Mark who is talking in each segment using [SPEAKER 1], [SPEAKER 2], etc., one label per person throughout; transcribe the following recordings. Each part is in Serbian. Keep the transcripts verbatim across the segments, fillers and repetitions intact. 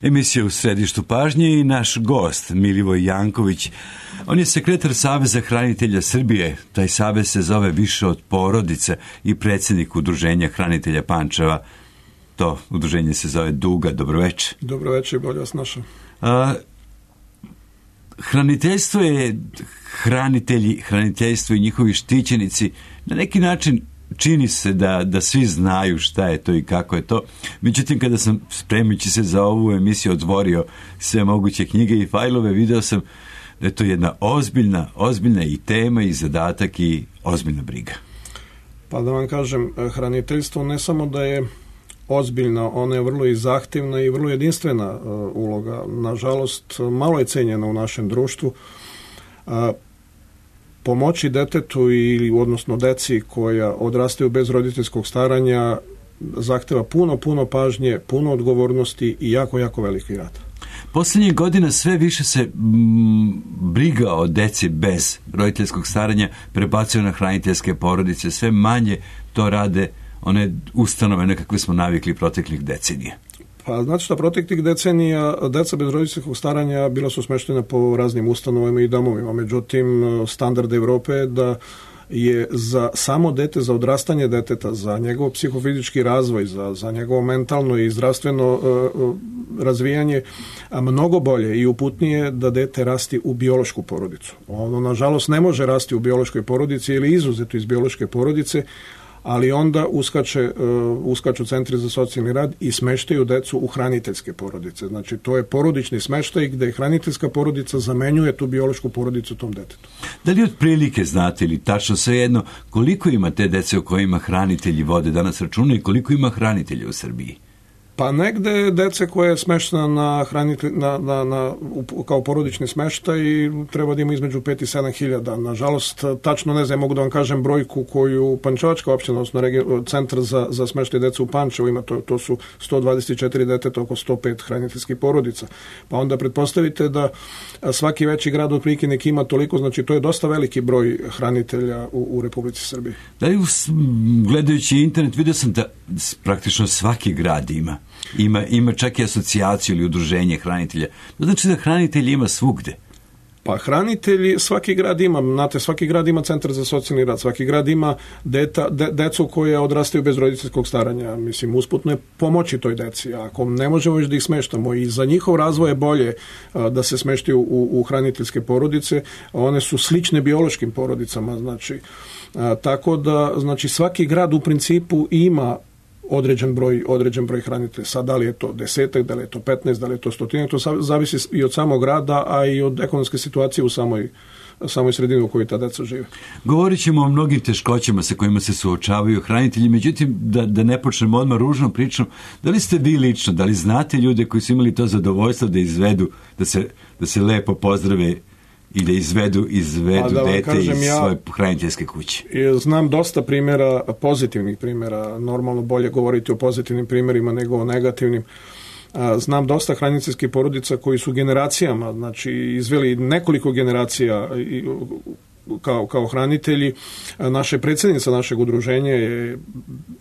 [SPEAKER 1] Emisija u središtu pažnje i naš gost Milivoj Janković. On je sekretar Saveza hranitelja Srbije. Taj savez se zove Više od porodice i predsjednik Udruženja hranitelja Pančeva. To udruženje se zove Duga. Dobroveče.
[SPEAKER 2] Dobroveče, bolje vas našao.
[SPEAKER 1] Hraniteljstvo je hranitelji, hraniteljstvo i njihovi štićenici. Na neki način čini se da, da svi znaju šta je to i kako je to. Međutim, kada sam spremajući se za ovu emisiju otvorio sve moguće knjige i fajlove, video sam da je to jedna ozbiljna, ozbiljna i tema i zadatak i ozbiljna briga.
[SPEAKER 2] Pa da vam kažem, hraniteljstvo ne samo da je ozbiljna, ona je vrlo i zahtjevna i vrlo jedinstvena uh, uloga. Nažalost, malo je cenjena u našem društvu. Uh, Pomoći detetu ili odnosno deci koja odrastaju bez roditeljskog staranja zahteva puno, puno pažnje, puno odgovornosti i jako, jako veliki rad.
[SPEAKER 1] Posljednjih godina sve više se mm, briga o deci bez roditeljskog staranja prebacuje na hraniteljske porodice. Sve manje to rade one ustanove na kakve smo navikli proteklih decenija.
[SPEAKER 2] Pa znači što proteklih decenija deca bez roditeljskog staranja bila su smještena po raznim ustanovama i domovima. Međutim, standard Evrope je da je za samo dete, za odrastanje deteta, za njegov psihofizički razvoj, za, za njegovo mentalno i zdravstveno uh, razvijanje mnogo bolje i uputnije da dete rasti u biološku porodicu. Ono, nažalost, ne može rasti u biološkoj porodici ili izuzeto iz biološke porodice, ali onda uskače, uh, uskaču centri za socijalni rad i smeštaju decu u hraniteljske porodice. Znači, to je porodični smeštaj gdje hraniteljska porodica zamenjuje tu biološku porodicu tom detetu.
[SPEAKER 1] Da li otprilike znate ili tačno svejedno koliko ima te dece o kojima hranitelji vode danas računa i koliko ima hranitelja u Srbiji?
[SPEAKER 2] Pa negde dece koje je smeštena na hranitelj, na, na, na, kao porodični smeštaj treba da ima između pet i sedam hiljada. Nažalost, tačno ne znam, mogu da vam kažem brojku koju Pančevačka opština, odnosno regi, centar za, za smeštaj dece u Pančevu ima, to, to su sto dvadeset četiri deteta, oko sto pet hraniteljskih porodica. Pa onda pretpostavite da svaki veći grad otprilike neki ima toliko, znači to je dosta veliki broj hranitelja u, u Republici Srbiji.
[SPEAKER 1] Da li gledajući internet vidio sam da praktično svaki grad ima Ima, ima čak i asocijaciju ili udruženje hranitelja. To znači da hranitelj ima svugde.
[SPEAKER 2] Pa hranitelji, svaki grad ima, znate, svaki grad ima centar za socijalni rad, svaki grad ima deta, de, decu koje odrastaju bez roditeljskog staranja. Mislim, usputno je pomoći toj deci. Ako ne možemo već da ih smeštamo i za njihov razvoj je bolje a, da se smeštaju u, u hraniteljske porodice, one su slične biološkim porodicama, znači, a, tako da, znači, svaki grad u principu ima određen broj, određen broj hranitelja. Sad, da li je to desetak, da li je to petnaest, da li je to stotinak, to zavisi i od samog grada, a i od ekonomske situacije u samoj, samoj sredini u kojoj ta deca žive.
[SPEAKER 1] Govorit ćemo o mnogim teškoćama sa kojima se suočavaju hranitelji, međutim, da, da ne počnemo odmah ružnom pričom, da li ste vi lično, da li znate ljude koji su imali to zadovoljstvo da izvedu, da se, da se lepo pozdrave i da izvedu, izvedu da dete iz ja, svoje hraniteljske kuće?
[SPEAKER 2] Znam dosta primjera, pozitivnih primjera, normalno bolje govoriti o pozitivnim primjerima nego o negativnim. Znam dosta hraniteljskih porodica koji su generacijama, znači izveli nekoliko generacija kao, kao hranitelji. Naša predsjednica našeg udruženja je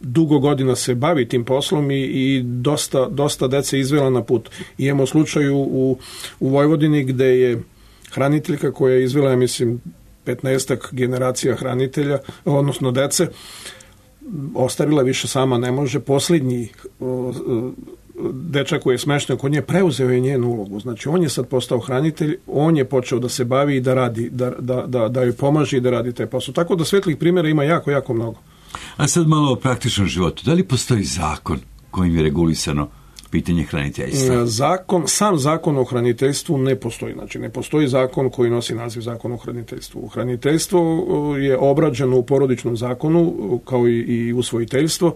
[SPEAKER 2] dugo godina se bavi tim poslom i, i dosta, dosta dece izvela na put. I imamo slučaju u, u Vojvodini gde je hraniteljka koja je izvela, ja mislim, petnaestak generacija hranitelja, odnosno dece, ostavila više sama ne može. Posljednji dečak koji je smešten kod nje preuzeo je njenu ulogu. Znači, on je sad postao hranitelj, on je počeo da se bavi i da radi, da, da, da, da joj pomaže i da radi taj posao. Tako da svetlih primjera ima jako, jako mnogo.
[SPEAKER 1] A sad malo o praktičnom životu. Da li postoji zakon kojim je regulisano pitanje hraniteljstva?
[SPEAKER 2] Zakon, sam zakon o hraniteljstvu ne postoji. Znači, ne postoji zakon koji nosi naziv zakon o hraniteljstvu. Hraniteljstvo je obrađeno u porodičnom zakonu, kao i, i usvojiteljstvo.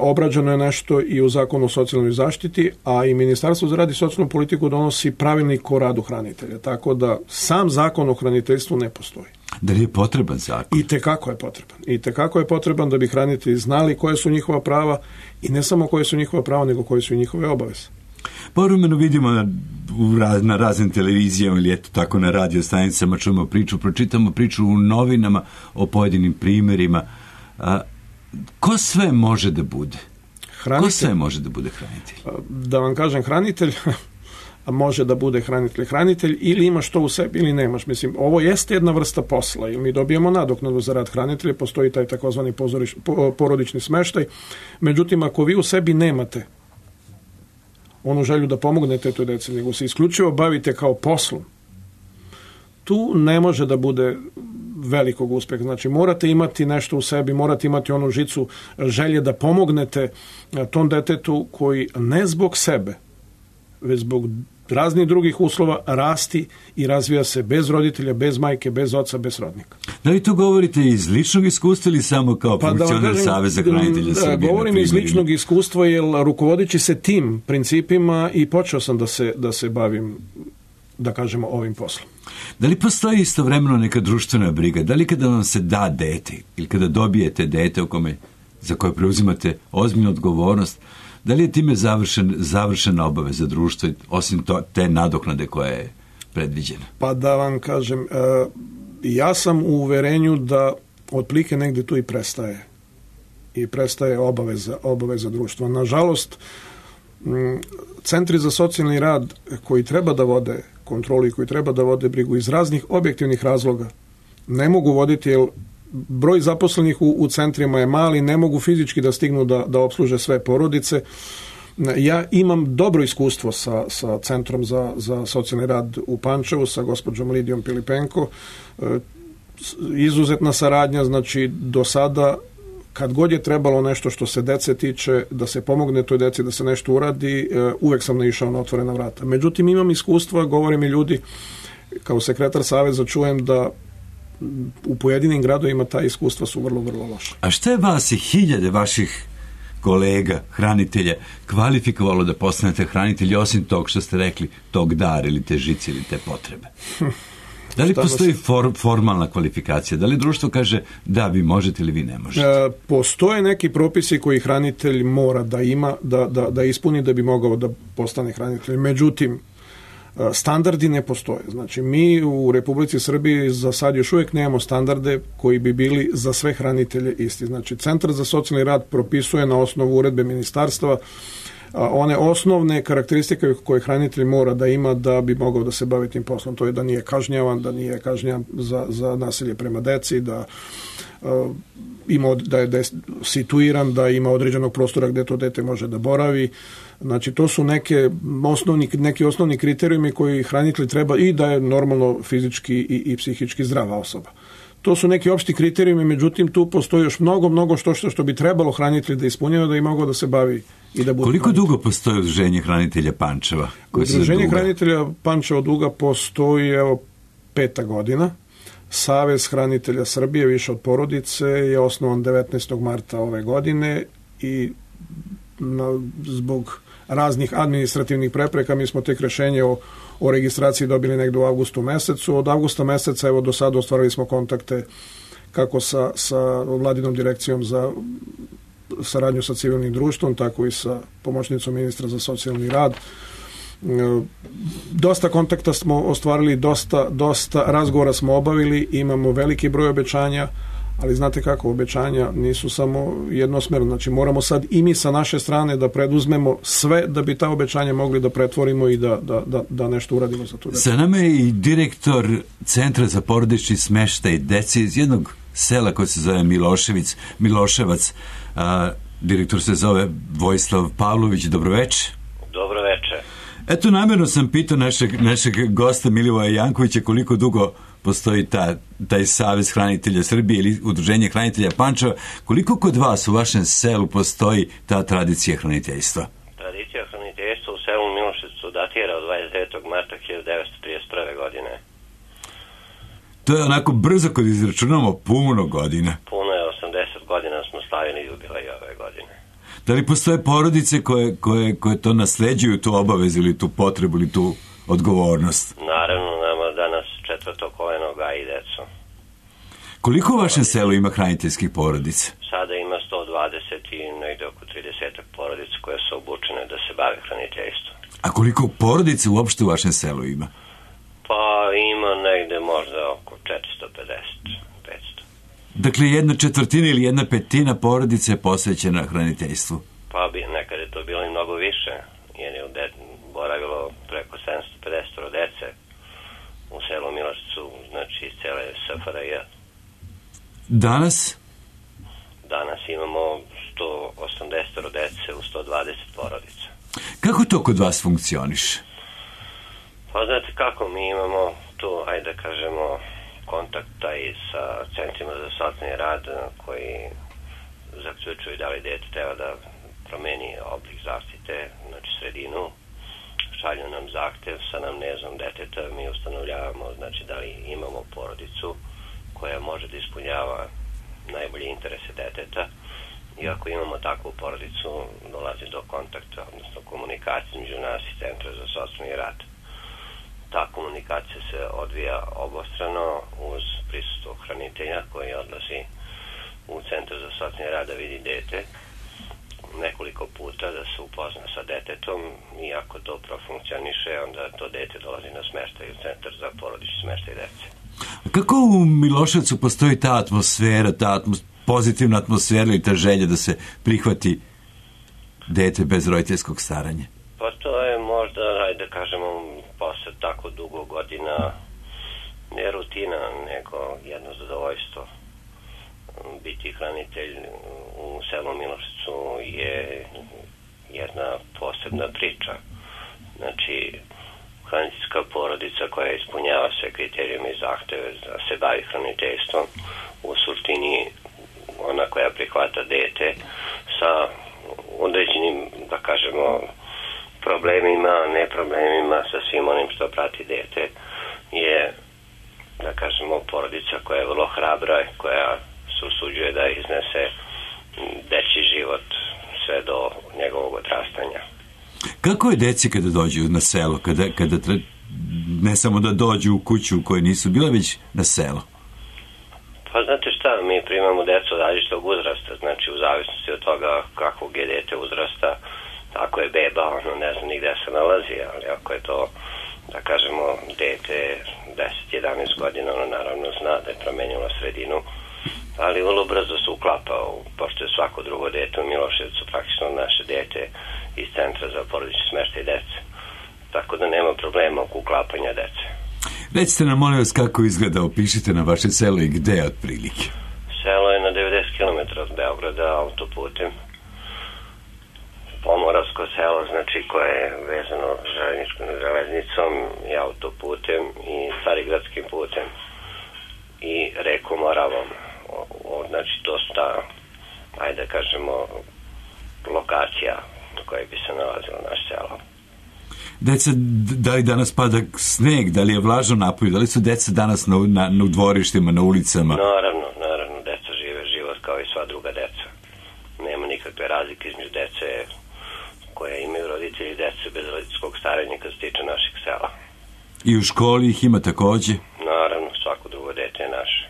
[SPEAKER 2] Obrađeno je nešto i u zakonu o socijalnoj zaštiti, a i Ministarstvo za rad i socijalnu politiku donosi pravilnik o radu hranitelja. Tako da sam zakon o hraniteljstvu ne postoji.
[SPEAKER 1] Da li je potreban zakon?
[SPEAKER 2] I tekako je potreban. I tekako je potreban da bi hranitelji znali koje su njihova prava i ne samo koje su njihova prava, nego koje su i njihove obaveze.
[SPEAKER 1] Povremeno vidimo na, na raznim televizijama ili eto tako na radio stanicama, čujemo priču, pročitamo priču u novinama o pojedinim primjerima. A, ko sve može da bude
[SPEAKER 2] Hranitelj,
[SPEAKER 1] ko sve može da bude hranitelj?
[SPEAKER 2] Da vam kažem, hranitelj može da bude hranitelj. Hranitelj ili imaš to u sebi ili nemaš. Mislim, ovo jeste jedna vrsta posla. Ili mi dobijemo nadoknadu za rad hranitelja, postoji taj takozvani pozoriš, porodični smeštaj. Međutim, ako vi u sebi nemate onu želju da pomognete toj deci, nego se isključivo bavite kao poslom, tu ne može da bude velikog uspeha. Znači, morate imati nešto u sebi, morate imati onu žicu želje da pomognete tom detetu koji ne zbog sebe, već zbog raznih drugih uslova rasti i razvija se bez roditelja, bez majke, bez oca, bez srodnika.
[SPEAKER 1] Da li to govorite iz ličnog iskustva ili samo kao pa funkcioner da Saveza hranitelja Srbije?
[SPEAKER 2] Govorim iz ličnog iskustva, jer rukovodeći se tim principima i počeo sam da se, da se bavim, da kažemo, ovim poslom.
[SPEAKER 1] Da li postoji istovremeno neka društvena briga? Da li kada vam se da dete ili kada dobijete dete u kome, za koje preuzimate ozbiljnu odgovornost, da li je time završen, završena obaveza društva, osim to, te nadoknade koja je predviđena?
[SPEAKER 2] Pa da vam kažem, ja sam u uverenju da otplike negde tu i prestaje. I prestaje obaveza, obaveza društva. Nažalost, centri za socijalni rad koji treba da vode kontrolu i koji treba da vode brigu iz raznih objektivnih razloga ne mogu voditi, jer broj zaposlenih u, u centrima je mali, ne mogu fizički da stignu da, da opsluže sve porodice. Ja imam dobro iskustvo sa, sa Centrom za, za socijalni rad u Pančevu, sa gospođom Lidijom Pilipenko. Izuzetna saradnja, znači do sada kad god je trebalo nešto što se dece tiče, da se pomogne toj deci, da se nešto uradi, uvek sam naišao na otvorena vrata. Međutim, imam iskustva, govore mi ljudi, kao sekretar Saveza čujem da u pojedinim gradovima ta iskustva su vrlo, vrlo loša.
[SPEAKER 1] A šta je vas i hiljade vaših kolega, hranitelja, kvalifikovalo da postanete hranitelji, osim tog što ste rekli, tog dar ili te žice ili te potrebe? Da li postoji for, formalna kvalifikacija? Da li društvo kaže da vi možete ili vi ne možete?
[SPEAKER 2] E, postoje neki propisi koji hranitelj mora da ima, da, da, da ispuni da bi mogao da postane hranitelj. Međutim, standardi ne postoje. Znači, mi u Republici Srbiji za sad još uvijek nemamo standarde koji bi bili za sve hranitelje isti. Znači, Centar za socijalni rad propisuje na osnovu uredbe ministarstva one osnovne karakteristike koje hranitelj mora da ima da bi mogao da se bavi tim poslom. To je da nije kažnjavan, da nije kažnjavan za, za nasilje prema deci, da uh, ima, da je, da je situiran, da ima određenog prostora gde to dete može da boravi. Znači, to su neke osnovni, neki osnovni kriterijumi koji hranitelj treba i da je normalno fizički i, i psihički zdrava osoba. To su neki opšti kriterijumi, međutim, tu postoji još mnogo, mnogo što što, što bi trebalo hranitelj da ispunjava da i mogao da se bavi i da bude.
[SPEAKER 1] Koliko hranitelj. Dugo postoji Udruženje hranitelja Pančeva?
[SPEAKER 2] Udruženje hranitelja Pančeva duga postoji, evo, peta godina. Savez hranitelja Srbije, više od porodice, je osnovan devetnaestog marta ove godine i na, zbog raznih administrativnih prepreka mi smo tek rešenje o, o registraciji dobili negdje u avgustu mesecu. Od avgusta meseca, evo, do sada ostvarili smo kontakte kako sa, sa Vladinom direkcijom za saradnju sa civilnim društvom, tako i sa pomoćnicom ministra za socijalni rad. Dosta kontakta smo ostvarili, dosta, dosta razgovora smo obavili, imamo veliki broj obećanja, ali znate kako, obećanja nisu samo jednosmerno. Znači, moramo sad i mi sa naše strane da preduzmemo sve da bi ta obećanja mogli da pretvorimo i da, da, da, da nešto uradimo za to.
[SPEAKER 1] Sa nama je i direktor Centra za porodični smeštaj dece iz jednog sela koje se zove Milošević, Miloševac. A, direktor se zove Vojislav Pavlović. Dobroveče.
[SPEAKER 3] Dobroveče.
[SPEAKER 1] Eto, namjerno sam pitao našeg, našeg gosta Milivoja Jankovića koliko dugo postoji ta, taj Savez hranitelja Srbije ili Udruženje hranitelja Pančeva. Koliko kod vas u vašem selu postoji ta tradicija hraniteljstva?
[SPEAKER 3] Tradicija hraniteljstva u selu Miloševcu datira od dvadeset devetog marta hiljadu devetsto trideset prve. godine.
[SPEAKER 1] To je onako brzo kad izračunamo puno godina.
[SPEAKER 3] Puno je, osamdeset godina smo slavili jubilej ove godine.
[SPEAKER 1] Da li postoje porodice koje, koje, koje to nasleđuju, tu obavezu ili tu potrebu ili tu odgovornost?
[SPEAKER 3] Naravno, nama danas četvrto koleno gaji decu.
[SPEAKER 1] Koliko u vašem selu ima hraniteljskih porodica?
[SPEAKER 3] Sada ima sto dvadeset i negde oko trideset porodica koje su obučene da se bave hraniteljstvom.
[SPEAKER 1] A koliko porodica uopšte u vašem selu ima?
[SPEAKER 3] Pa ima negde možda oko četiristo pedeset do petsto.
[SPEAKER 1] Dakle, jedna četvrtina ili jedna petina porodice je posvećena hraniteljstvu?
[SPEAKER 3] Pa bi, nekad je to bilo i mnogo više, jer je de, boravilo preko sedamsto pedeset dece u selu Miloševcu, znači iz cele S F R J.
[SPEAKER 1] Danas?
[SPEAKER 3] Danas imamo sto osamdeset dece u sto dvadeset porodica.
[SPEAKER 1] Kako to kod vas funkcioniše?
[SPEAKER 3] Pa znate kako, mi imamo tu, ajde da kažemo, kontakta i sa centrima za socijalni rad koji zaključuju da li dete treba da promeni oblik zaštite, znači sredinu, šalju nam zahtev sa namnezom deteta, mi ustanovljavamo znači da li imamo porodicu koja može da ispunjava najbolje interese deteta i ako imamo takvu porodicu dolazi do kontakta, odnosno komunikacije među nas i Centra za socijalni rad. Ta komunikacija se odvija obostrano uz prisustvo hranitelja koji odlazi u Centar za socijalni rad da vidi dete nekoliko puta, da se upozna sa detetom i ako to profunkcioniše, onda to dete dolazi na smeštaj u Centar za porodični smeštaj dece.
[SPEAKER 1] A kako u Miloševcu postoji ta atmosfera, ta atmos, pozitivna atmosfera i ta želja da se prihvati dete bez roditeljskog staranja?
[SPEAKER 3] Pa to je možda, ajde da kažemo, posle tako dugo godina ne rutina, nego jedno zadovoljstvo. Biti hranitelj u selu Miloševcu je jedna posebna priča. Znači, hraniteljska porodica koja ispunjava sve kriterijume i zahteve da se bavi hraniteljstvom, u suštini ona koja prihvata dete sa određenim, da kažemo, problemima, ne problemima, sa svim onim što prati dete, je, da kažemo, porodica koja je vrlo hrabra, koja se usuđuje da iznese dečji život sve do njegovog odrastanja.
[SPEAKER 1] Kako je deci kada dođu na selo, kada, kada tre, ne samo da dođu u kuću u kojoj nisu bile, već na selo?
[SPEAKER 3] Pa znate šta, mi primamo decu od različitog uzrasta, znači u zavisnosti od toga kakvog je dete uzrasta, ako je beba, ono ne zna ni gde se nalazi, ali ako je to, da kažemo, dete deset jedanaest godina, ono naravno zna da je promenilo sredinu, ali vrlo brzo se uklapa, pošto je svako drugo dete u Miloševcu praktično naše dete iz Centra za porodični smeštaj dece. Tako da nema problema oko uklapanja dece.
[SPEAKER 1] Recite nam, molim vas, kako izgleda, opišite na vaše selo i gde otprilike?
[SPEAKER 3] Selo je na devedeset kilometara od Beograda autoputem. Pomoravsko selo, znači koje je vezano železnicom i autoputem i Carigradskim putem i rekom Moravom. O, o, znači dosta, ajde da kažemo, lokacija na kojoj bi se nalazilo naš selo.
[SPEAKER 1] Deca, da li danas pada sneg, da li je vlažno napolju, da li su deca danas na, na, na dvorištima, na ulicama?
[SPEAKER 3] Naravno, naravno, deca žive život kao i sva druga deca. Nema nikakve razlike između dece koje imaju roditelji i dece bez roditeljskog staranja kad se tiče naših sela.
[SPEAKER 1] I u školi ih ima takođe?
[SPEAKER 3] Naravno, svako drugo dete je naše.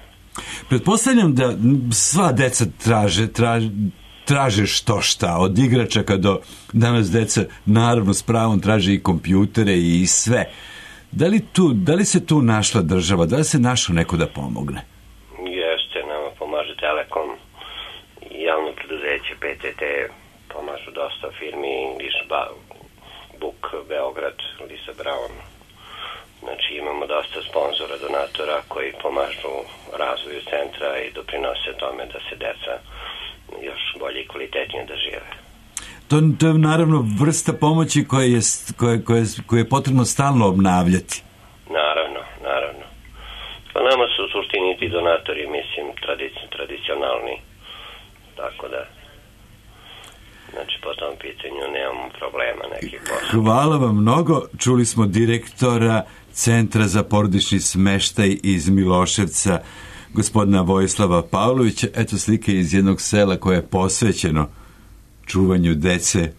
[SPEAKER 1] Pretpostavljam da sva deca traže, traže, traže što šta, od igračaka do danas deca naravno s pravom traže i kompjutere i sve. Da li, tu, da li se tu našla država, da li se našao neko da pomogne?
[SPEAKER 3] Jeste, nama pomaže Telekom, javno preduzeće P T T, pomažu dosta firmi, English Book, Beograd, Lisa Brown. Znači imamo dosta sponzora, donatora koji pomažu razvoju centra i doprinose tome da se deca još bolje i kvalitetnije da žive.
[SPEAKER 1] To, to je naravno vrsta pomoći koja je, koja, koja, koja je potrebno stalno obnavljati.
[SPEAKER 3] Naravno, naravno. Pa nama su u suštini ti donatori, mislim, tradici, tradicionalni. Tako da, znači po tom pitanju nemamo problema nekih posla.
[SPEAKER 1] Hvala vam mnogo. Čuli smo direktora Centra za porodični smeštaj iz Miloševca, gospodina Vojislava Pavlovića. Eto slike iz jednog sela koje je posvećeno čuvanju dece.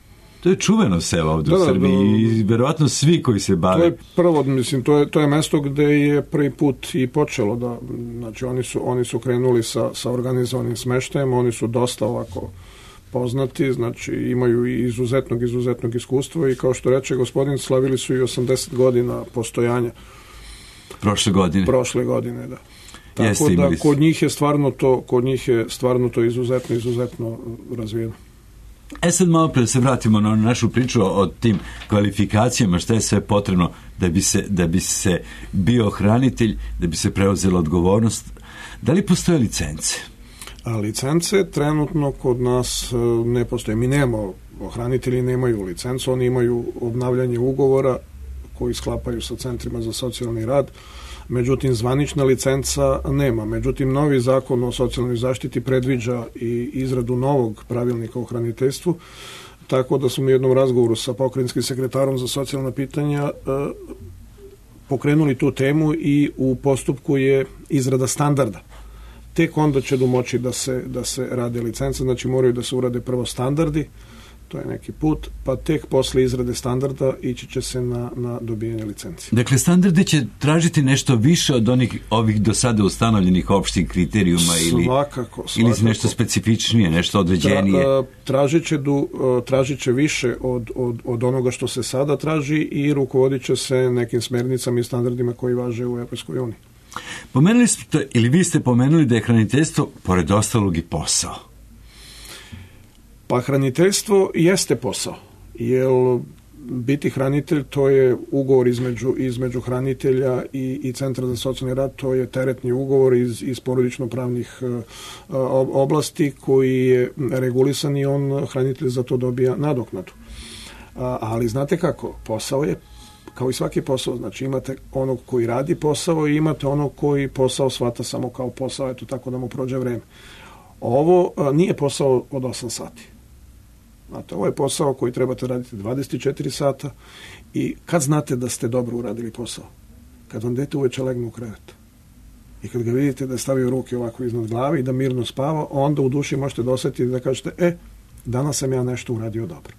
[SPEAKER 1] To je čuveno selo ovdje da, u Srbiji i verovatno svi koji se bave.
[SPEAKER 2] To je prvo, mislim, to je, to je mesto gde je prvi put i počelo da, znači oni su, oni su krenuli sa, sa organizovanim smeštajem, oni su dosta ovako poznati, znači imaju i izuzetnog, izuzetnog iskustva i kao što reče gospodin, slavili su i osamdeset godina postojanja.
[SPEAKER 1] Prošle godine.
[SPEAKER 2] Prošle godine, da. Tako
[SPEAKER 1] Jeste,
[SPEAKER 2] da kod njih je stvarno to, kod njih je stvarno to izuzetno, izuzetno razvijeno.
[SPEAKER 1] E sad malo pre da se vratimo na našu priču o tim kvalifikacijama, šta je sve potrebno da bi se, da bi se bio hranitelj, da bi se preuzela odgovornost. Da li postoje licence?
[SPEAKER 2] A licence trenutno kod nas ne postoje. Mi nemamo, hranitelji nemaju licencu, oni imaju obnavljanje ugovora koji sklapaju sa centrima za socijalni rad. Međutim, zvanična licenca nema. Međutim, novi zakon o socijalnoj zaštiti predviđa i izradu novog pravilnika o hraniteljstvu, tako da smo u jednom razgovoru sa pokrajinskim sekretarom za socijalna pitanja e, pokrenuli tu temu i u postupku je izrada standarda. Tek onda će domoći da se, da se rade licence, znači moraju da se urade prvo standardi, to je neki put, pa tek posle izrade standarda ići će se na, na dobijanje licencije.
[SPEAKER 1] Dakle, standardi će tražiti nešto više od onih ovih do sada ustanovljenih opštih kriterijuma ili,
[SPEAKER 2] svakako, svakako.
[SPEAKER 1] ili nešto specifičnije, nešto određenije?
[SPEAKER 2] Tra, tražit će, du, tražit će više od, od, od onoga što se sada traži i rukovodit će se nekim smernicama i standardima koji važe u Evropskoj uniji.
[SPEAKER 1] Pomenuli ste, ili vi ste pomenuli da je hraniteljstvo, pored ostalog, i posao.
[SPEAKER 2] Pa hraniteljstvo jeste posao, jer biti hranitelj to je ugovor između, između hranitelja i, i Centra za socijalni rad, to je teretni ugovor iz, iz porodično-pravnih uh, oblasti koji je regulisan i on, hranitelj, za to dobija nadoknadu. Uh, ali znate kako, posao je kao i svaki posao, znači imate onog koji radi posao i imate onog koji posao shvata samo kao posao, eto tako da mu prođe vreme. Ovo uh, nije posao od osam sati. Znate, ovo je posao koji trebate raditi dvadeset četiri sata i kad znate da ste dobro uradili posao? Kad vam dete uveče legne u krevet i kad ga vidite da stavio ruke ovako iznad glave i da mirno spava, onda u duši možete dosetiti da kažete, e, danas sam ja nešto uradio dobro.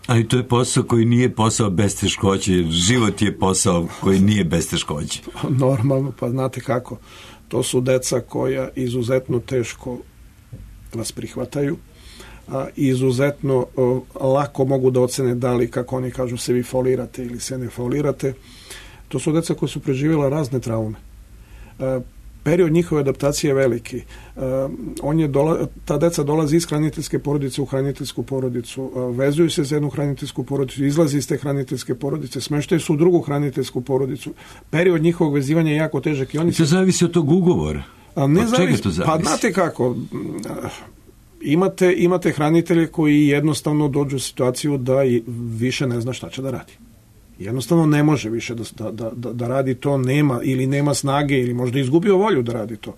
[SPEAKER 1] Ali to je posao koji nije posao bez teškoće, jer život je posao koji nije bez teškoće.
[SPEAKER 2] Normalno, pa znate kako. To su deca koja izuzetno teško vas prihvataju, a, izuzetno o, lako mogu da ocene da li, kako oni kažu, se vi folirate ili se ne folirate. To su deca koja su preživjela razne traume. E, period njihove adaptacije je veliki. E, on je dola, ta deca dolazi iz hraniteljske porodice u hraniteljsku porodicu, e, vezuju se za jednu hraniteljsku porodicu, izlazi iz te hraniteljske porodice, smeštaju se u drugu hraniteljsku porodicu. Period njihovog vezivanja je jako težak. I oni
[SPEAKER 1] to se... zavisi od tog ugovora.
[SPEAKER 2] A ne zavisi, pa znate kako, imate, imate hranitelje koji jednostavno dođu u situaciju da više ne zna šta će da radi. Jednostavno ne može više da, da, da, da radi to, nema ili nema snage ili možda izgubio volju da radi to.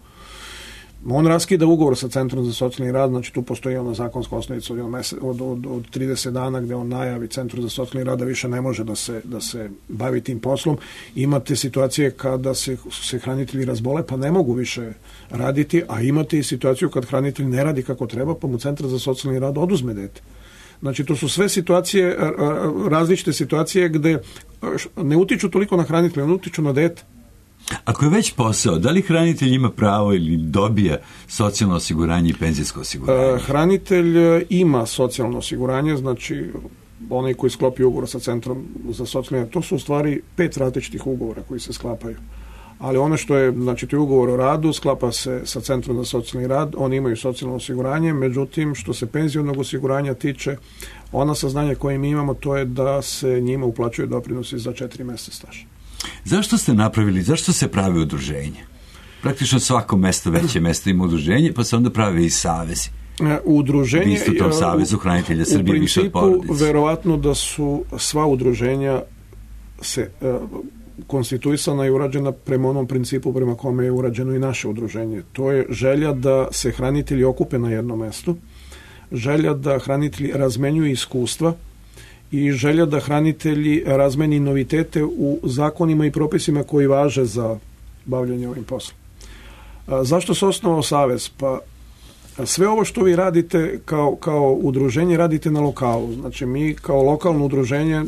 [SPEAKER 2] On raskida ugovor sa Centrom za socijalni rad, znači tu postoji ona zakonska osnovica od, od, od, od trideset dana gde on najavi Centru za socijalni rad da više ne može da se, da se bavi tim poslom. Imate situacije kada se, se hranitelji razbole pa ne mogu više raditi, a imate i situaciju kad hranitelj ne radi kako treba pa mu Centar za socijalni rad oduzme dete. Znači to su sve situacije, različite situacije gde ne utiču toliko na hranitelja, ne utiču na dete.
[SPEAKER 1] Ako je već posao, da li hranitelj ima pravo ili dobija socijalno osiguranje i penzijsko osiguranje?
[SPEAKER 2] Hranitelj ima socijalno osiguranje, znači onaj koji sklopi ugovor sa Centrom za socijalni rad, to su u stvari pet različitih ugovora koji se sklapaju. Ali ono što je, znači to je ugovor o radu, sklapa se sa Centrom za socijalni rad, oni imaju socijalno osiguranje, međutim što se penzionog osiguranja tiče, ona saznanja koje mi imamo to je da se njima uplaćuju doprinosi za četiri meseca staža.
[SPEAKER 1] Zašto ste napravili, zašto se pravi udruženje? Praktično svako mesto, veće mesto ima udruženje, pa se onda pravi i savezi.
[SPEAKER 2] Udruženje,
[SPEAKER 1] vi ste u tom savezu hranitelja Srbije više od porodice.
[SPEAKER 2] U principu, verovatno da su sva udruženja se uh, konstituisana i urađena prema onom principu prema kome je urađeno i naše udruženje. To je želja da se hranitelji okupe na jednom mestu, želja da hranitelji razmenjuju iskustva i želja da hranitelji razmeni novitete u zakonima i propisima koji važe za bavljanje ovim poslom. A, zašto se osnovao savez? Pa sve ovo što vi radite kao, kao udruženje radite na lokalu. Znači mi kao lokalno udruženje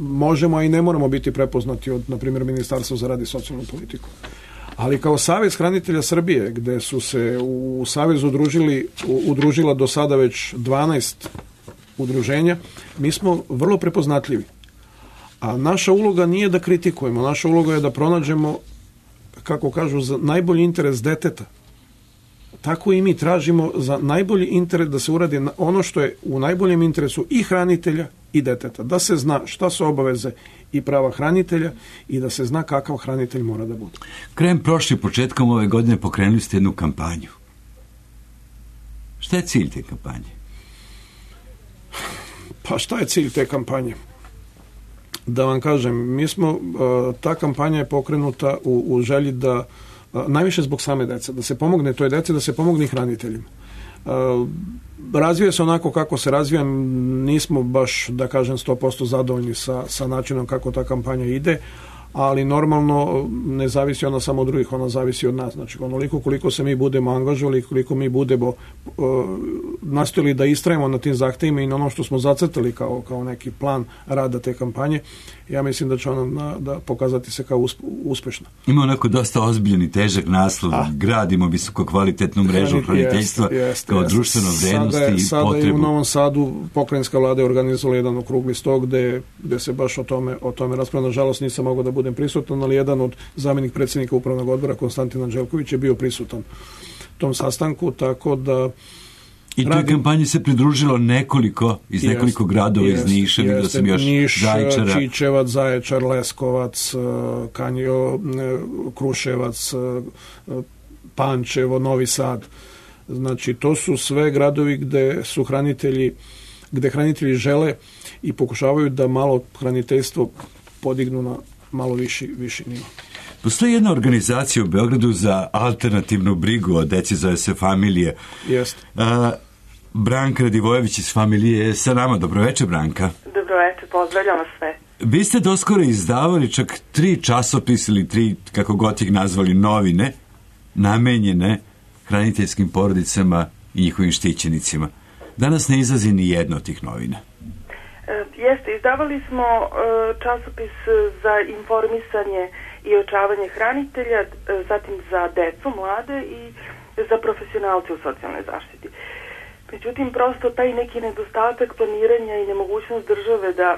[SPEAKER 2] možemo, a i ne moramo biti prepoznati od, na primjer, Ministarstva za rad i socijalnu politiku. Ali kao Savez hranitelja Srbije, gde su se u Savezu udružili, udružila do sada već dvanaest udruženja, mi smo vrlo prepoznatljivi. A naša uloga nije da kritikujemo, naša uloga je da pronađemo, kako kažu, za najbolji interes deteta. tako i mi tražimo za najbolji interes da se uradi ono što je u najboljem interesu i hranitelja i deteta. Da se zna šta su obaveze i prava hranitelja i da se zna kakav hranitelj mora da bude.
[SPEAKER 1] Krajem prošle, početkom ove godine pokrenuli ste jednu kampanju. Šta je cilj te kampanje?
[SPEAKER 2] Pa šta je cilj te kampanje? Da vam kažem, mi smo, ta kampanja je pokrenuta u, u želji da, najviše zbog same dece, da se pomogne toj deci, da se pomogne i hraniteljima. Razvija se onako kako se razvija, nismo baš, da kažem, sto posto zadovoljni sa, sa načinom kako ta kampanja ide, ali normalno ne zavisi ona samo od drugih, ona zavisi od nas. Znači, onoliko koliko se mi budemo angažovali, koliko mi budemo uh, nastojali da istrajemo na tim zahtevima i na ono što smo zacrtali kao, kao neki plan rada te kampanje, ja mislim da će ona na, da pokazati se kao usp, uspešna.
[SPEAKER 1] Ima onako dosta ozbiljan i težak naslov, A. gradimo visoko kvalitetnu mrežu hraniteljstva kao jest. društveno vrednosti sada je,
[SPEAKER 2] i
[SPEAKER 1] sada
[SPEAKER 2] potrebu.
[SPEAKER 1] Sada
[SPEAKER 2] je u Novom Sadu pokrajinska vlada je organizovala jedan okrugli stol gde, gde se baš o tome, o tome raspravlja. Nažalost nisam mogao da budem prisutan, ali jedan od zamjenik predsjednika upravnog odbora, Konstantin Anđelković, je bio prisutan tom sastanku, tako da
[SPEAKER 1] i toj radim... kampanji se pridružilo nekoliko, iz jest, nekoliko gradova, jest, iz Niša, vidio sam još
[SPEAKER 2] Niš,
[SPEAKER 1] Zaječara.
[SPEAKER 2] Čičevac, Zaječar, Leskovac, Kanjo, Kruševac, Pančevo, Novi Sad. Znači, to su sve gradovi gde su hranitelji, gde hranitelji žele i pokušavaju da malo hraniteljstvo podignu na malo viši, viši nivo.
[SPEAKER 1] Postoji jedna organizacija u Beogradu za alternativnu brigu o deci, zove se Familije.
[SPEAKER 2] Jeste.
[SPEAKER 1] Branka Radivojević iz Familije je sa nama. Dobroveče, Branka.
[SPEAKER 4] Dobroveče, pozdravljamo sve.
[SPEAKER 1] Vi ste doskoro izdavali čak tri časopisa ili tri, kako god ih nazvali, novine, namenjene hraniteljskim porodicama i njihovim štićenicima. Danas ne izlazi ni jedna od tih novina.
[SPEAKER 4] Jeste, izdavali smo časopis za informisanje i očavanje hranitelja, zatim za decu, mlade i za profesionalce u socijalnoj zaštiti. Međutim, prosto taj neki nedostatak planiranja i nemogućnost države da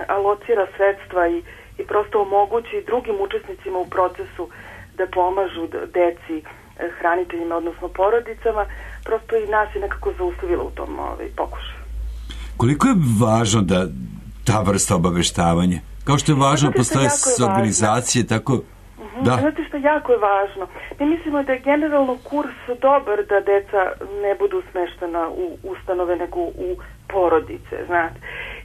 [SPEAKER 4] alocira sredstva i, i prosto omogući drugim učesnicima u procesu da pomažu deci, hraniteljima, odnosno porodicama, prosto i nas je nekako zaustavilo u tom ovaj, pokušaju.
[SPEAKER 1] Koliko je važno da ta vrsta obaveštavanja? Kao što je važno, postoje organizacije, tako...
[SPEAKER 4] Uh-huh. Da. Znate što jako je važno? Mi mislimo da je generalno kurs dobar da deca ne budu smeštena u ustanove, nego u porodice, znate.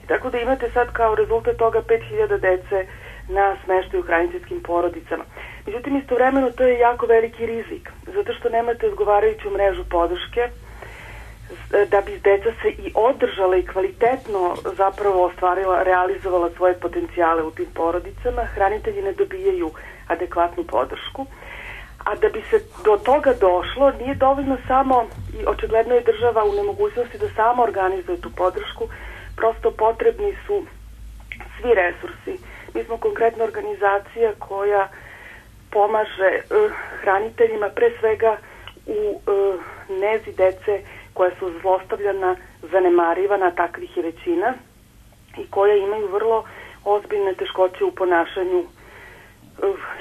[SPEAKER 4] I tako da imate sad kao rezultat toga pet hiljada dece na smeštaju u hraniteljskim porodicama. Međutim, istovremeno to je jako veliki rizik, zato što nemate odgovarajuću mrežu podrške, da bi deca se i održala i kvalitetno zapravo ostvarila, realizovala svoje potencijale u tim porodicama. Hranitelji ne dobijaju adekvatnu podršku, a da bi se do toga došlo nije dovoljno samo, i očigledno je država u nemogućnosti da sama organizuje tu podršku, prosto potrebni su svi resursi. Mi smo konkretna organizacija koja pomaže uh, hraniteljima pre svega u uh, nezi dece koja su zlostavljana, zanemarivana, takvih je većina, i koja imaju vrlo ozbiljne teškoće u ponašanju, uh,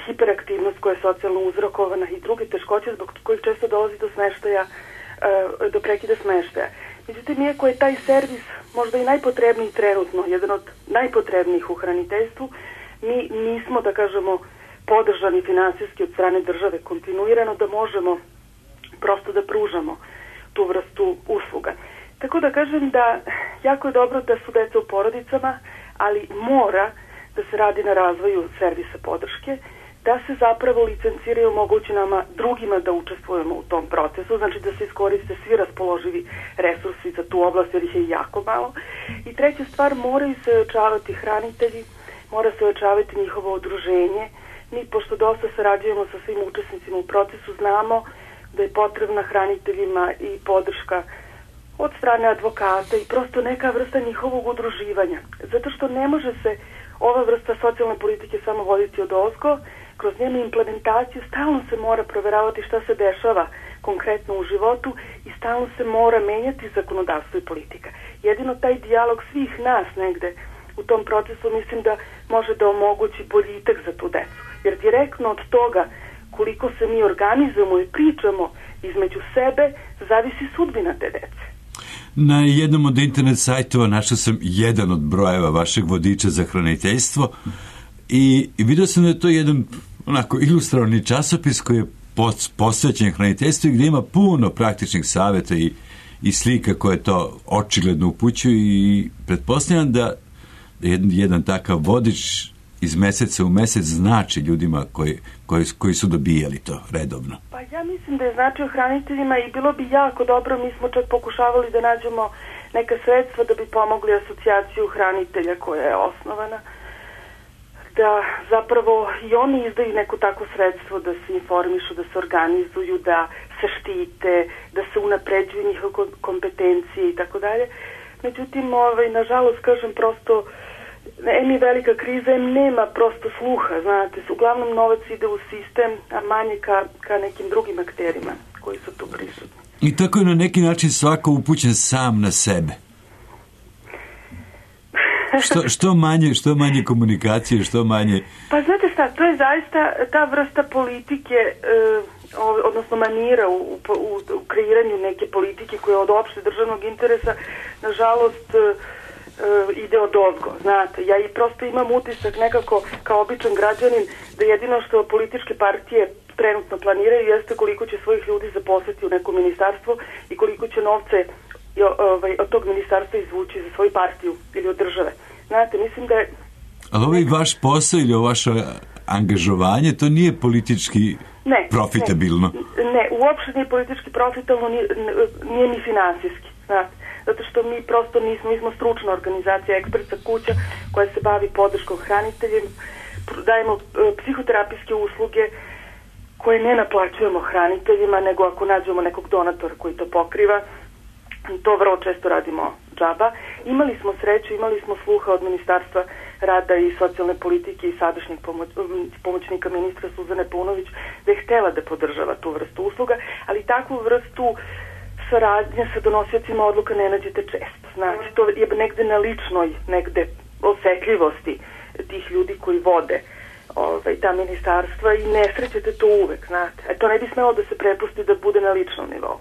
[SPEAKER 4] hiperaktivnost koja je socijalno uzrokovana i druge teškoće zbog kojih često dolazi do smeštaja, uh, do prekida smeštaja. Međutim, iako je taj servis možda i najpotrebniji trenutno, jedan od najpotrebnijih u hraniteljstvu, mi nismo, da kažemo, podržani finansijski od strane države kontinuirano da možemo prosto da pružamo tu vrstu usluga. Tako da kažem da jako je dobro da su deca u porodicama, ali mora da se radi na razvoju servisa podrške, da se zapravo licenciraju mogući nama drugima da učestvujemo u tom procesu, znači da se iskoriste svi raspoloživi resursi za tu oblast, jer ih je jako malo. I treća stvar, moraju se ojačavati hranitelji, mora se ojačavati njihovo udruženje. Mi, pošto dosta sarađujemo sa svim učesnicima u procesu, znamo da je potrebna hraniteljima i podrška od strane advokata i prosto neka vrsta njihovog udruživanja. Zato što ne može se ova vrsta socijalne politike samo voditi od ozgo, kroz njenu implementaciju stalno se mora proveravati šta se dešava konkretno u životu i stalno se mora menjati zakonodavstvo i politika. Jedino taj dijalog svih nas negde u tom procesu mislim da može da omogući boljitak za tu decu. Jer direktno od toga koliko se mi organizujemo i pričamo između sebe, zavisi sudbina te dece.
[SPEAKER 1] Na jednom od internet sajtova našao sam jedan od brojeva vašeg vodiča za hraniteljstvo i vidio sam da je to jedan onako ilustrovani časopis koji je posvećen hraniteljstvu i gdje ima puno praktičnih savjeta i, i slika koje to očigledno upućuju i pretpostavljam da jedan, jedan takav vodič iz meseca u mesec znači ljudima koji, koji, koji su dobijali to redovno.
[SPEAKER 4] Pa ja mislim da je značio hraniteljima i bilo bi jako dobro, mi smo čak pokušavali da nađemo neka sredstva da bi pomogli asocijaciju hranitelja koja je osnovana, da zapravo i oni izdaju neko takvo sredstvo da se informišu, da se organizuju, da se štite, da se unapređuju njihove kompetencije i tako dalje. Međutim, ovaj, nažalost, kažem, prosto em je velika kriza, em nema prosto sluha, znate, uglavnom novac ide u sistem, a manje ka, ka nekim drugim akterima koji su tu prisutni.
[SPEAKER 1] I tako je na neki način svako upućen sam na sebe. Što, što manje, što manje komunikacije, što manje...
[SPEAKER 4] Pa znate šta, to je zaista ta vrsta politike, eh, odnosno manira u, u, u kreiranju neke politike koja je od opšte državnog interesa, nažalost, eh, ide od ozgo, znate. Ja i prosto imam utisak nekako kao običan građanin da jedino što političke partije trenutno planiraju jeste koliko će svojih ljudi zaposliti u neko ministarstvo i koliko će novce od tog ministarstva izvući za svoju partiju ili od države. Znate, mislim da je...
[SPEAKER 1] Ali ovaj vaš posao ili ovo vaše angažovanje, to nije politički
[SPEAKER 4] ne,
[SPEAKER 1] profitabilno?
[SPEAKER 4] Ne, ne, uopšte nije politički profitabilno, nije, nije ni finansijski, znate. Zato što mi prosto nismo, mi smo stručna organizacija, ekspertska kuća koja se bavi podrškom hraniteljima, dajemo psihoterapijske usluge koje ne naplaćujemo hraniteljima, nego ako nađemo nekog donatora koji to pokriva, to vrlo često radimo džaba. Imali smo sreću, imali smo sluha od Ministarstva rada i socijalne politike i sadašnjeg pomoć, pomoćnika ministra Suzane Paunović da je htela da podržava tu vrstu usluga, ali takvu vrstu saradnje sa donosiocima odluka ne nađete često. Znači, to je negde na ličnoj, negde osetljivosti tih ljudi koji vode ovaj, ta ministarstva i ne srećete to uvek, znate. E, to ne bi smelo da se prepusti da bude na ličnom nivou.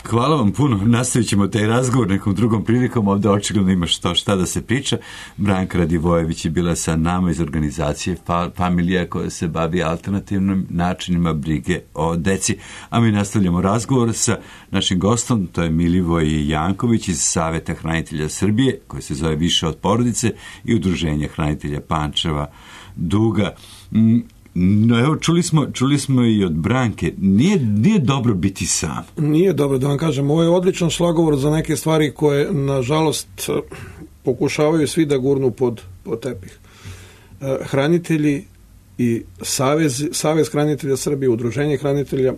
[SPEAKER 1] Hvala vam puno. Nastavit ćemo taj razgovor nekom drugom prilikom. Ovdje očigledno ima što šta da se priča. Branka Radivojević je bila sa nama iz organizacije Familija koja se bavi alternativnim načinima brige o deci. A mi nastavljamo razgovor sa našim gostom, to je Milivoj Janković iz Saveta hranitelja Srbije, koji se zove Više od porodice i Udruženja hranitelja Pančeva Duga. No evo, čuli smo, čuli smo i od Branke, nije, nije dobro biti sam.
[SPEAKER 2] Nije dobro, da vam kažem, ovo je odličan šlagovor za neke stvari koje, nažalost, pokušavaju svi da gurnu pod, pod tepih. Hranitelji i Savez, Savez hranitelja Srbije, Udruženje hranitelja,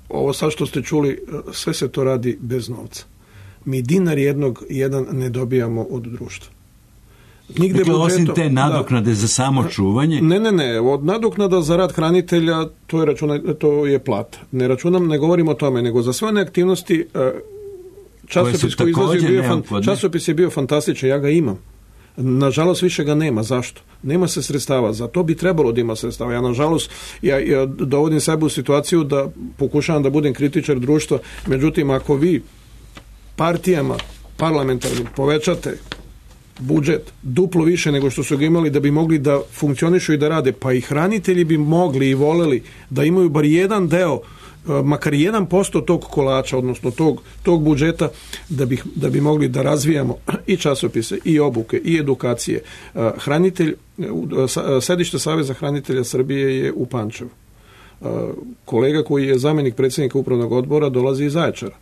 [SPEAKER 2] ovo sad što ste čuli, sve se to radi bez novca. Mi dinar jednog, jedan ne dobijamo od društva. Nigde
[SPEAKER 1] dakle,
[SPEAKER 2] budžetom,
[SPEAKER 1] osim te nadoknade da, za samo čuvanje?
[SPEAKER 2] Ne, ne, ne. Od nadoknada za rad hranitelja to je, računa, to je plata. Ne računam, ne govorim o tome, nego za sve one aktivnosti časopis koji izlazi bio fan, časopis je bio fantastičan, ja ga imam. Nažalost, više ga nema. Zašto? Nema se sredstava. Za to bi trebalo da ima sredstava. Ja, nažalost, ja, ja dovodim sebe u situaciju da pokušavam da budem kritičar društva. Međutim, ako vi partijama parlamentarnim povećate budžet duplo više nego što su ga imali da bi mogli da funkcionišu i da rade, pa i hranitelji bi mogli i voleli da imaju bar jedan deo, makar jedan posto tog kolača, odnosno tog, tog budžeta, da bi, da bi mogli da razvijamo i časopise, i obuke, i edukacije. Hranitelj, sedište Saveza hranitelja Srbije je u Pančevu. Kolega koji je zamenik predsjednika upravnog odbora dolazi iz Zaječara.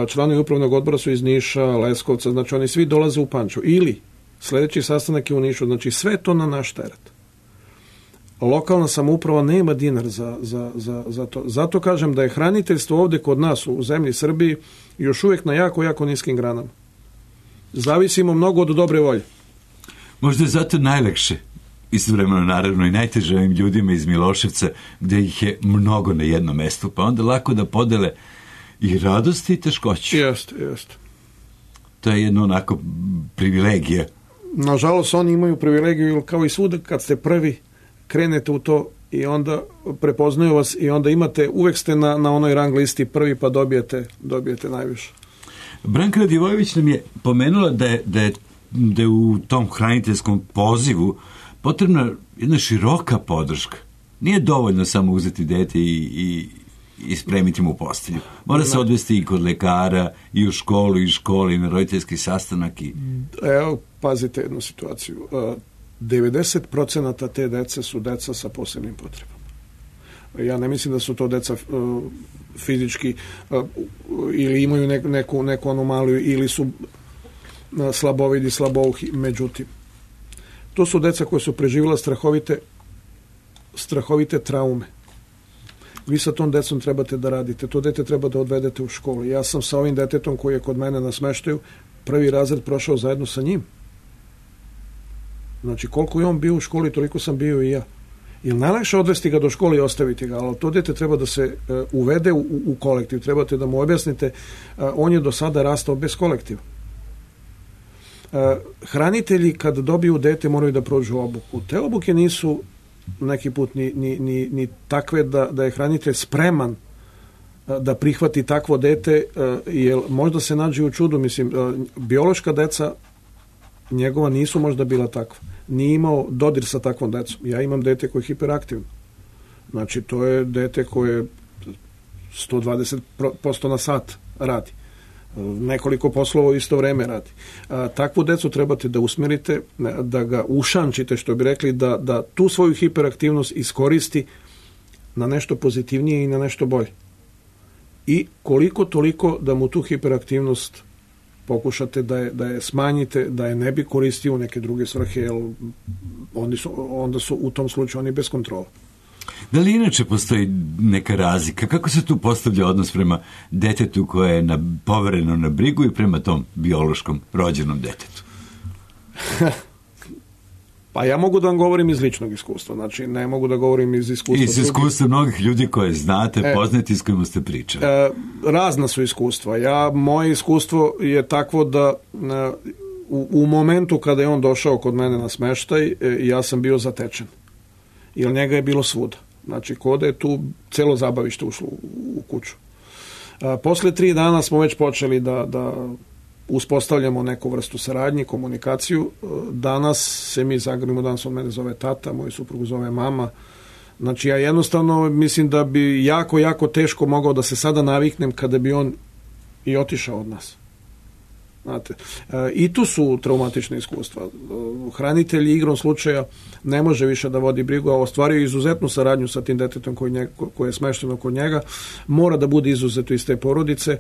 [SPEAKER 2] Članovi upravnog odbora su iz Niša, Leskovca, znači oni svi dolaze u Pančevo. Ili sljedeći sastanak je u Nišu, znači sve to na naš teret. Lokalna samouprava nema dinar za, za, za, za to. Zato kažem da je hraniteljstvo ovdje kod nas u zemlji Srbiji još uvijek na jako, jako niskim granama. Zavisimo mnogo od dobre volje.
[SPEAKER 1] Možda je zato najlakše, istovremeno naravno i najteže ovim ljudima iz Miloševca, gdje ih je mnogo na jednom mjestu, pa onda lako da podele i radosti i teškoći.
[SPEAKER 2] Jeste, jeste.
[SPEAKER 1] To je jedno onako privilegija.
[SPEAKER 2] Nažalost, oni imaju privilegiju, kao i svuda kad ste prvi, krenete u to, i onda prepoznaju vas i onda imate, uvek ste na, na onoj rang listi prvi pa dobijete, dobijete najviše.
[SPEAKER 1] Branka Radivojević nam je pomenula da je, da je, da je u tom hraniteljskom pozivu potrebna jedna široka podrška. Nije dovoljno samo uzeti dete i, i, i spremiti mu postelju. Mora se odvesti i kod lekara, i u školu, i školi, i na roditeljski sastanak. I...
[SPEAKER 2] Evo, pazite jednu situaciju. devedeset procenata te dece su deca sa posebnim potrebama. Ja ne mislim da su to deca uh, fizički uh, ili imaju neku, neku, neku anomaliju ili su uh, slabovidi, slabouhi. Međutim, to su deca koje su preživjela strahovite strahovite traume. Vi sa tom decom trebate da radite. To dete treba da odvedete u školu. Ja sam sa ovim detetom koji je kod mene na smeštaju prvi razred prošao zajedno sa njim. Znači, koliko je on bio u školi, toliko sam bio i ja. Ili najlakše odvesti ga do škole i ostaviti ga, ali to dete treba da se uh, uvede u, u kolektiv. Trebate da mu objasnite, uh, on je do sada rastao bez kolektiva. Uh, hranitelji kad dobiju dete moraju da prođu obuku. Te obuke nisu neki put ni, ni, ni, ni takve da, da je hranitelj spreman uh, da prihvati takvo dete, uh, jer možda se nađe u čudu. Mislim, uh, biološka deca njegova nisu možda bila takva. Nije imao dodir sa takvom decom. Ja imam dete koje je hiperaktivno. Znači, to je dete koje sto dvadeset posto na sat radi. Nekoliko poslova u isto vreme radi. A, takvu decu trebate da usmerite, da ga ušančite, što bi rekli, da, da tu svoju hiperaktivnost iskoristi na nešto pozitivnije i na nešto bolje. I koliko toliko da mu tu hiperaktivnost pokušate da je, da je smanjite, da je ne bi koristio u neke druge svrhe, jer oni su, onda su u tom slučaju oni bez kontrola.
[SPEAKER 1] Da li inače postoji neka razlika? Kako se tu postavlja odnos prema detetu koje je na, povereno na brigu i prema tom biološkom rođenom detetu?
[SPEAKER 2] Pa ja mogu da vam govorim iz ličnog iskustva, znači ne mogu da govorim iz iskustva.
[SPEAKER 1] Iz iskustva mnogih ljudi koje znate, e, poznati, s kojima ste pričali.
[SPEAKER 2] E, razna su iskustva. Ja, moje iskustvo je takvo da e, u, u momentu kada je on došao kod mene na smeštaj, e, ja sam bio zatečen. Jer njega je bilo svuda. Znači, koda je tu celo zabavište ušlo u, u kuću. E, posle tri dana smo već počeli da... da uspostavljamo neku vrstu saradnje, komunikaciju. Danas se mi zagrlimo, danas on mene zove tata, moj suprug zove mama. Znači, ja jednostavno mislim da bi jako, jako teško mogao da se sada naviknem kada bi on i otišao od nas. Znate, i tu su traumatične iskustva. Hranitelj igrom slučaja ne može više da vodi brigu, a ostvario izuzetnu saradnju sa tim detetom koji, njega, koji je smešteno kod njega. Mora da bude izuzeto iz te porodice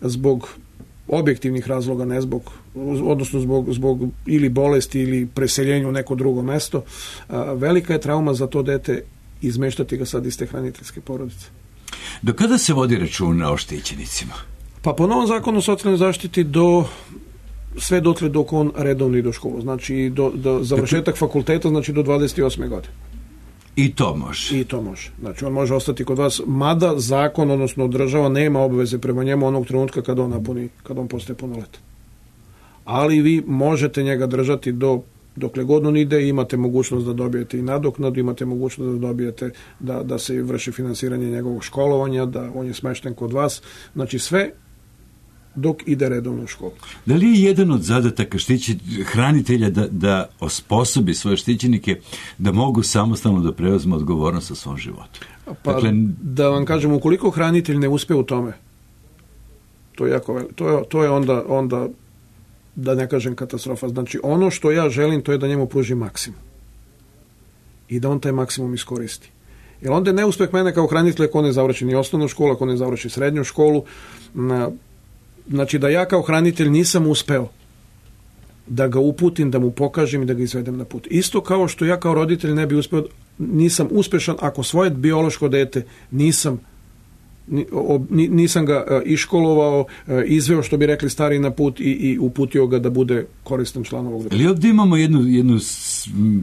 [SPEAKER 2] zbog objektivnih razloga, ne zbog, odnosno zbog, zbog ili bolesti ili preseljenja u neko drugo mesto. A, velika je trauma za to dete izmeštati ga sad iz te hraniteljske porodice.
[SPEAKER 1] Do kada se vodi računa o štićenicima?
[SPEAKER 2] Pa po novom zakonu o socijalnoj zaštiti do sve dotle dok on redovno ide u školu. Znači do, do završetak fakulteta, znači do dvadeset osme godine.
[SPEAKER 1] I to može.
[SPEAKER 2] I to može. Znači, on može ostati kod vas, mada zakon, odnosno država, nema obaveze prema njemu onog trenutka kada on napuni, kada on postaje punoletan. Ali vi možete njega držati do, dokle god on ide, imate mogućnost da dobijete i nadoknadu, imate mogućnost da dobijete, da, da se vrši finansiranje njegovog školovanja, da on je smešten kod vas. Znači, sve dok ide redovno u školu.
[SPEAKER 1] Da li je jedan od zadataka štići, hranitelja da, da osposobi svoje štićenike da mogu samostalno da preuzmu odgovornost o svom životu?
[SPEAKER 2] Pa, dakle, da vam kažem, ukoliko hranitelj ne uspe u tome, to je jako veliko. To je, to je onda, onda, da ne kažem, katastrofa. Znači, ono što ja želim, to je da njemu pruži maksimum. I da on taj maksimum iskoristi. Jer onda je neuspeh mene kao hranitelja ako ne završi ni osnovnu školu, ako ne završi srednju školu. Na, znači, da ja kao hranitelj nisam uspeo da ga uputim, da mu pokažem i da ga izvedem na put. Isto kao što ja kao roditelj ne bi uspeo, nisam uspešan ako svoje biološko dete nisam nisam ga iškolovao, izveo, što bi rekli stari, na put i, i uputio ga da bude koristan član ovog društva.
[SPEAKER 1] Ali ovdje imamo jednu, jednu,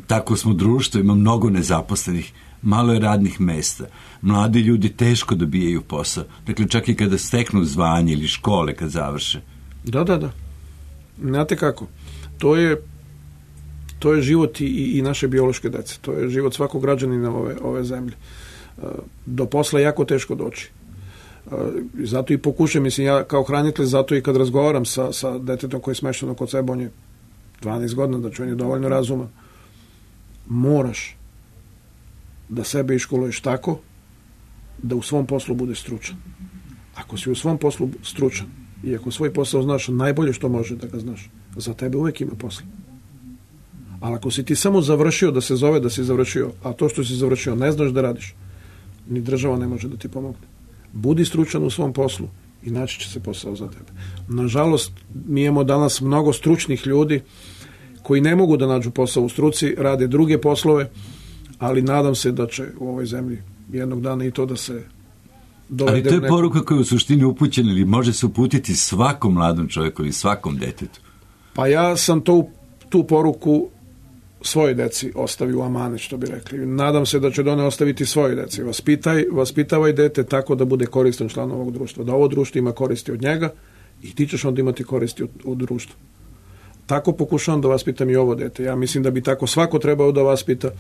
[SPEAKER 1] tako smo društvo, ima mnogo nezaposlenih, malo je radnih mesta. Mladi ljudi teško dobijaju posao. Dakle, čak i kada steknu zvanje ili škole kad završe.
[SPEAKER 2] Da, da, da. Znate kako? To je to je život i, i naše biološke dece. To je život svakog građanina ove, ove zemlje. Do posla je jako teško doći. Zato i pokušam, mislim, ja kao hranitelj, zato i kad razgovaram sa, sa detetom koji je smešteno kod sebe, on je dvanaest godina, znači on je dovoljno razuman. Moraš da sebe iškoluješ tako da u svom poslu budeš stručan. Ako si u svom poslu stručan i ako svoj posao znaš najbolje što može da ga znaš, za tebe uvijek ima posla. Ali ako si ti samo završio da se zove da si završio, a to što si završio ne znaš da radiš, ni država ne može da ti pomogne. Budi stručan u svom poslu i naći će se posao za tebe. Nažalost, mi imamo danas mnogo stručnih ljudi koji ne mogu da nađu posao u struci, rade druge poslove, ali nadam se da će u ovoj zemlji jednog dana i to da se dovede.
[SPEAKER 1] Ali to je
[SPEAKER 2] nekom...
[SPEAKER 1] poruka koja je u suštini upućena ili može se uputiti svakom mladom čovjeku ili svakom detetu.
[SPEAKER 2] Pa ja sam to, tu poruku svojoj deci ostavi u amanet, što bi rekli. Nadam se da će one ostaviti svojoj deci. Vaspitaj, vaspitavaj dete tako da bude koristan član ovog društva. Da ovo društvo ima koristi od njega i ti ćeš onda imati koristi od, od društva. Tako pokušavam da vaspitam i ovo dete. Ja mislim da bi tako svako trebao da vaspita.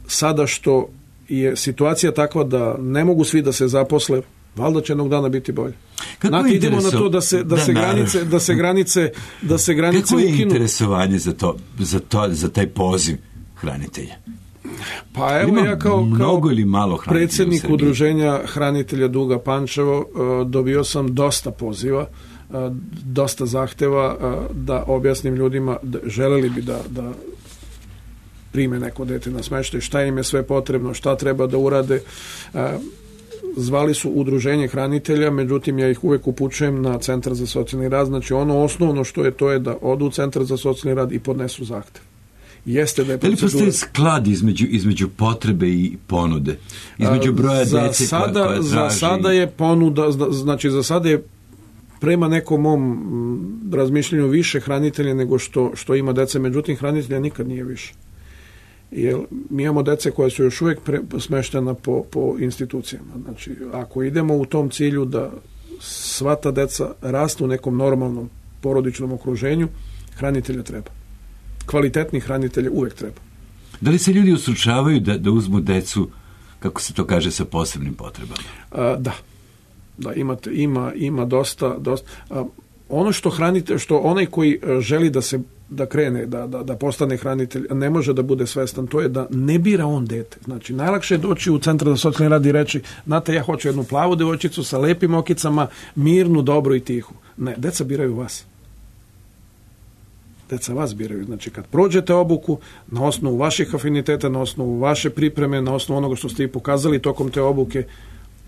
[SPEAKER 2] Sada što je situacija takva da ne mogu svi da se zaposle, valjda će jednog dana biti bolje. Znate, idemo na to da se, da, da se granice, da se granice, da se granice
[SPEAKER 1] Kako je
[SPEAKER 2] ukinu.
[SPEAKER 1] interesovanje za to, za to, za taj poziv hranitelja?
[SPEAKER 2] Pa evo,
[SPEAKER 1] Ima
[SPEAKER 2] ja kao,
[SPEAKER 1] mnogo
[SPEAKER 2] kao
[SPEAKER 1] ili malo
[SPEAKER 2] predsjednik udruženja hranitelja Duga Pančevo dobio sam dosta poziva, dosta zahteva da objasnim ljudima da želeli bi da, da prime neko dete na smještaj, šta im je sve potrebno, šta treba da urade. Zvali su udruženje hranitelja, međutim ja ih uvek upućujem na Centar za socijalni rad. Znači ono osnovno što je to je da odu u Centar za socijalni rad i podnesu zahtev. Jeste da je procedura...
[SPEAKER 1] Da li postoji sklad između, između potrebe i ponude? Između broja
[SPEAKER 2] za
[SPEAKER 1] dece
[SPEAKER 2] sada,
[SPEAKER 1] koja, koja traži...
[SPEAKER 2] Za sada je ponuda, znači za sada je prema nekom mom razmišljenju više hranitelja nego što, što ima dece, međutim hranitelja nikad nije više. Jer mi imamo dece koje su još uvijek pre, smeštena po, po institucijama. Znači, ako idemo u tom cilju da sva ta deca rastu u nekom normalnom porodičnom okruženju, hranitelja treba. Kvalitetni hranitelja uvijek treba.
[SPEAKER 1] Da li se ljudi ustručavaju da, da uzmu decu, kako se to kaže, sa posebnim potrebama?
[SPEAKER 2] A, da. Da, imate, ima, ima dosta... dosta a, ono što hranite, što onaj koji želi da se da krene, da, da, da postane hranitelj, ne može da bude svestan, to je da ne bira on dete. Znači, najlakše je doći u Centar za socijalni rad i reći, znate, ja hoću jednu plavu devojčicu sa lepim okicama, mirnu, dobru i tihu. Ne, deca biraju vas. Deca vas biraju. Znači, kad prođete obuku, na osnovu vaših afiniteta, na osnovu vaše pripreme, na osnovu onoga što ste i pokazali tokom te obuke,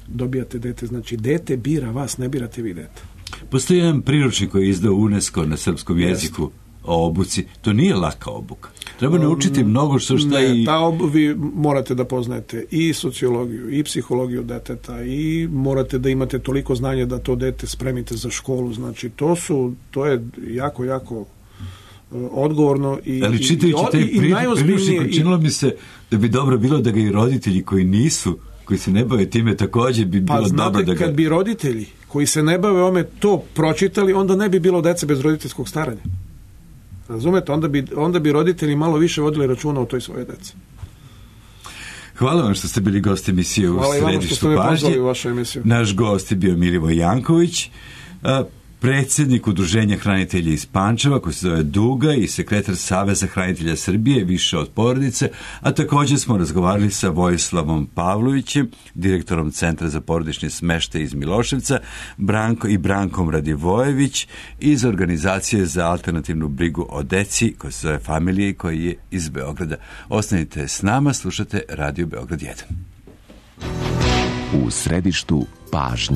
[SPEAKER 2] dobijate dete. Znači, dete bira vas, ne birate vi dete.
[SPEAKER 1] Postoji jedan priručnik koji je izdao UNESCO na srpskom jeziku. Jeste. O obuci. To nije laka obuka. Treba naučiti mnogo što šta
[SPEAKER 2] ne,
[SPEAKER 1] i...
[SPEAKER 2] Ta obu, vi morate da poznajete i sociologiju, i psihologiju deteta, i morate da imate toliko znanja da to dete spremite za školu. Znači, to su, to je jako, jako uh, odgovorno i...
[SPEAKER 1] Ali čitajući taj priručnik, učinilo mi se da bi dobro bilo da ga i roditelji koji nisu, koji se ne bave time, također bi bilo
[SPEAKER 2] pa, znate,
[SPEAKER 1] dobro da ga...
[SPEAKER 2] kad bi roditelji koji se ne bave ome to pročitali, onda ne bi bilo dece bez roditeljskog staranja. Razumete? Onda bi, onda bi roditelji malo više vodili računa o toj svoje dece.
[SPEAKER 1] Hvala vam što ste bili gost emisije u
[SPEAKER 2] Hvala
[SPEAKER 1] Središtu pažnje.
[SPEAKER 2] U vašu emisiju.
[SPEAKER 1] Naš gost je bio Milivoj Janković, predsjednik Udruženja hranitelja iz Pančeva, koji se zove Duga, i sekretar Saveza hranitelja Srbije, Više od porodice, a također smo razgovarali sa Vojislavom Pavlovićem, direktorom Centra za porodični smeštaj iz Miloševca, Branko i Brankom Radivojević iz Organizacije za alternativnu brigu o deci, koja se zove Familije, koji je iz Beograda. Ostanite s nama, slušate Radio Beograd jedan.
[SPEAKER 5] U središtu pažnje.